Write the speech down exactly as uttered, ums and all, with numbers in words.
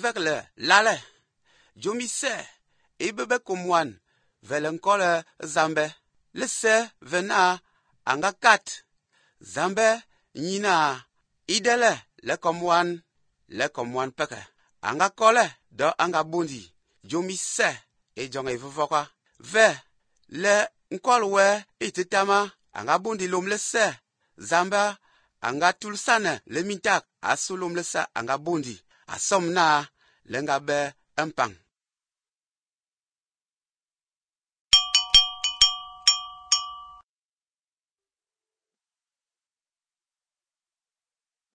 vek le lale. Jomi se, e bebe komwan, vele nkole zambe. Le se vena anga kat. Zambe nyina idele le komwan, le komwan peke. Anga kole do anga bundi. Jomi se, e jonge vuvoka. Ve, le nkol we ititama, anga bundi lom le se. Zambe anga tulsane le mintak, asulom le se anga bundi. Asom na, lenga be empang.